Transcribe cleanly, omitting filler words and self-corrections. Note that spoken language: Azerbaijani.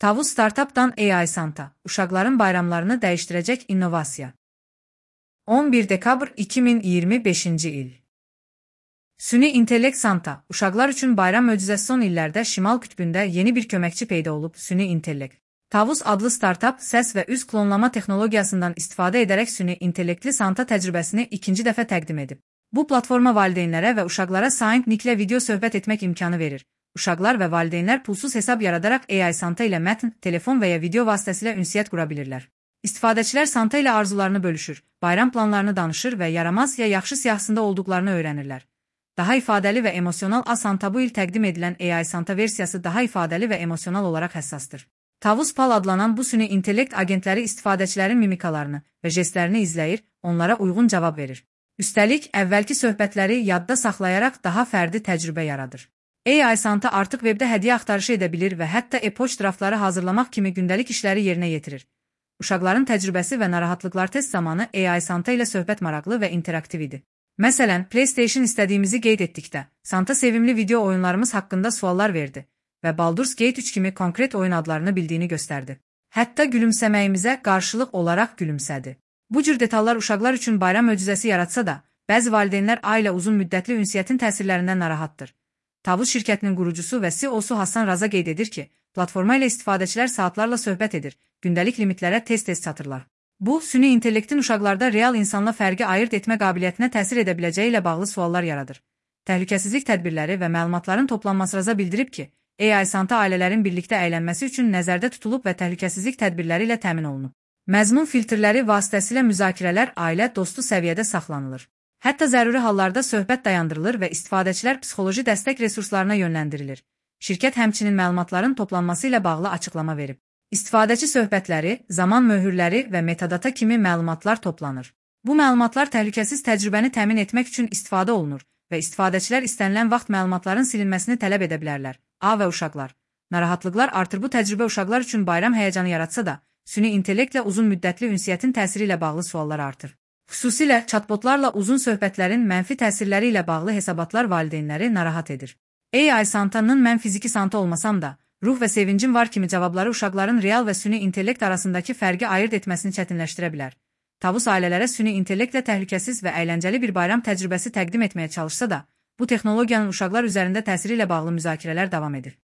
Tavus Startup'dan AI Santa, uşaqların bayramlarını dəyişdirəcək innovasiya. 11 dekabr 2025-ci il. Süni intellekt Santa, uşaqlar üçün bayram möcüzəsi. Son illərdə Şimal qütbündə yeni bir köməkçi peyda olub, süni intellekt. Tavus adlı startup, səs və üz klonlama texnologiyasından istifadə edərək süni intellektli Santa təcrübəsini ikinci dəfə təqdim edib. Bu platforma valideynlərə və uşaqlara Signal video söhbət etmək imkanı verir. Uşaqlar və valideynlər pulsuz hesab yaradaraq AI Santa ilə mətn, telefon və ya video vasitəsilə ünsiyyət qura bilirlər. İstifadəçilər Santa ilə arzularını bölüşür, bayram planlarını danışır və yaramaz ya yaxşı siyahısında olduqlarını öyrənirlər. Daha ifadəli və emosional Santa. Bu il təqdim edilən AI Santa versiyası daha ifadəli və emosional olaraq həssasdır. Tavus Pal adlanan bu süni intellekt agentləri istifadəçilərin mimikalarını və jestlərini izləyir, onlara uyğun cavab verir. Üstəlik, əvvəlki söhbətləri yadda saxlayaraq daha fərdi təcrübə yaradır. AI Santa artıq webdə hədiyyə axtarışı edə bilir və hətta e-poçt draftları hazırlamaq kimi gündəlik işləri yerinə yetirir. Uşaqların təcrübəsi və narahatlıqlar test zamanı AI Santa ilə söhbət maraqlı və interaktiv idi. Məsələn, PlayStation istədiyimizi qeyd etdikdə, Santa sevimli video oyunlarımız haqqında suallar verdi və Baldur's Gate 3 kimi konkret oyun adlarını bildiyini göstərdi. Hətta gülümsəməyimizə qarşılıq olaraq gülümsədi. Bu cür detallar uşaqlar üçün bayram möcüzəsi yaratsa da, bəzi valideynlər ailə uzun müddətli ünsiyyətin təsirlərindən narahatdır. Tavus şirkətinin qurucusu və CEO-su Hasan Raza qeyd edir ki, platforma ilə istifadəçilər saatlarla söhbət edir, gündəlik limitlərə tez-tez çatırlar. Bu, süni intellektin uşaqlarda real insanla fərqi ayırt etmə qabiliyyətinə təsir edə biləcəyi ilə bağlı suallar yaradır. Təhlükəsizlik tədbirləri və məlumatların toplanması. Raza bildirib ki, AI Santa ailələrin birlikdə əylənməsi üçün nəzərdə tutulub və təhlükəsizlik tədbirləri ilə təmin olunub. Məzmun filtrləri vasitəsilə müzakirələr ailə dostu səviyyədə saxlanılır. Hətta zəruri hallarda söhbət dayandırılır və istifadəçilər psixoloji dəstək resurslarına yönləndirilir. Şirkət həmçinin məlumatların toplanması ilə bağlı açıqlama verib. İstifadəçi söhbətləri, zaman möhürləri və metadata kimi məlumatlar toplanır. Bu məlumatlar təhlükəsiz təcrübəni təmin etmək üçün istifadə olunur və istifadəçilər istənilən vaxt məlumatların silinməsini tələb edə bilərlər. A və uşaqlar. Narahatlıqlar artır. Bu təcrübə uşaqlar üçün bayram həyəcanı yaratsa da, süni intellektlə uzun müddətli ünsiyyətin təsiri ilə bağlı suallar artır. Xüsusilə chatbotlarla uzun söhbətlərin mənfi təsirləri ilə bağlı hesabatlar valideynləri narahat edir. AI Santa'nın mən fiziki Santa olmasam da, ruh və sevincim var kimi cavabları uşaqların real və süni intellekt arasındakı fərqi ayırt etməsini çətinləşdirə bilər. Tavus ailələrə süni intellektlə təhlükəsiz və əyləncəli bir bayram təcrübəsi təqdim etməyə çalışsa da, bu texnologiyanın uşaqlar üzərində təsiri ilə bağlı müzakirələr davam edir.